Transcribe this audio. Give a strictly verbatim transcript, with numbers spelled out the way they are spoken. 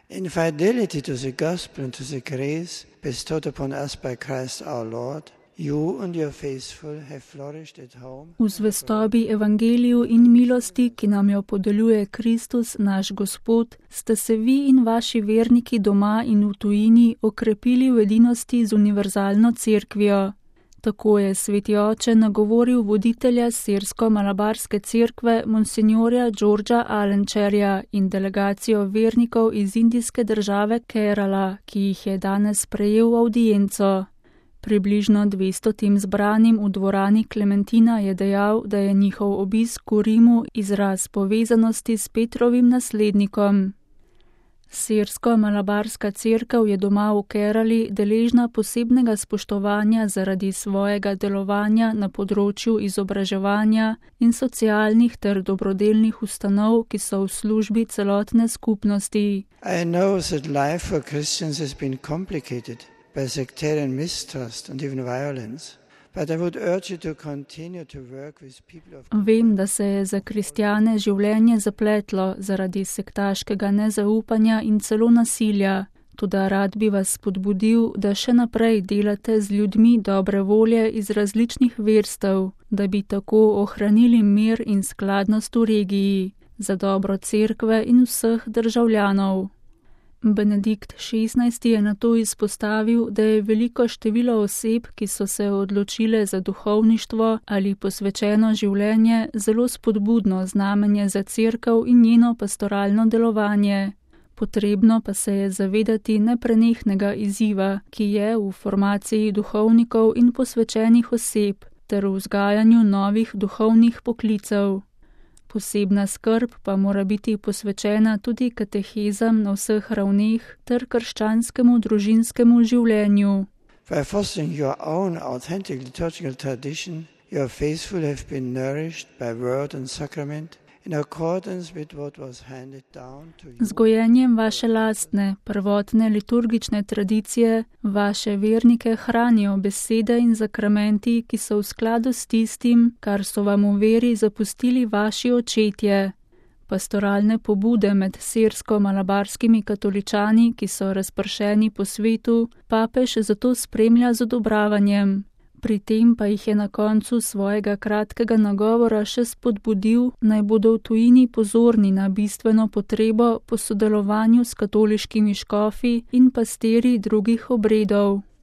In fidelity to the gospel and to the grace bestowed upon us by Christ our Lord, you and your faithful have flourished at home. V zvestobi evangeliju in milosti, ki nam jo podeljuje Kristus, naš Gospod, ste se vi in vaši verniki doma in v tujini okrepili v edinosti z univerzalno cerkvijo. Tako je sveti oče nagovoril voditelja sirsko-malabarske cerkve monsignorja Georgea Alenčerja in delegacijo vernikov iz indijske države Kerala, ki jih je danes prejel v avdienco. Približno dvestotim zbranim v dvorani Klementina je dejal, da je njihov obisk v Rimu izraz povezanosti s Petrovim naslednikom. Sirsko-malabarska cerkev je doma v Kerali deležna posebnega spoštovanja zaradi svojega delovanja na področju izobraževanja in socialnih ter dobrodelnih ustanov, ki so v službi celotne skupnosti. I know that life for Christians has been complicated by sectarian mistrust and even violence. But I would urge you to continue to work with people of... Vem, da se je za kristjane življenje zapletlo zaradi sektaškega nezaupanja in celo nasilja. Toda rad bi vas spodbudil, da še naprej delate z ljudmi dobre volje iz različnih verstev, da bi tako ohranili mir in skladnost v regiji, za dobro cerkve in vseh državljanov. Benedikt šestnajsti je nato izpostavil, da je veliko število oseb, ki so se odločile za duhovništvo ali posvečeno življenje, zelo spodbudno znamenje za cerkev in njeno pastoralno delovanje. Potrebno pa se je zavedati neprenehnega izziva, ki je v formaciji duhovnikov in posvečenih oseb ter v vzgajanju novih duhovnih poklicev. Posebna skrb pa mora biti posvečena tudi katehezam na vseh ravneh ter krščanskemu družinskemu življenju. By fostering your own authentic liturgical tradition, your faithful have been nourished by word and sacrament in accordance with what was handed down to you. Z gojenjem vaše lastne, prvotne liturgične tradicije, vaše vernike hranijo besede in zakramenti, ki so v skladu s tistim, kar so vam v veri zapustili vaši očetje. Pastoralne pobude med sirsko-malabarskimi katoličani, ki so razpršeni po svetu, papež zato spremlja z odobravanjem. Pri tem pa jih je na koncu svojega kratkega nagovora še spodbudil, naj bodo v tujini pozorni na bistveno potrebo po sodelovanju s katoliškimi škofi in pastiri drugih obredov.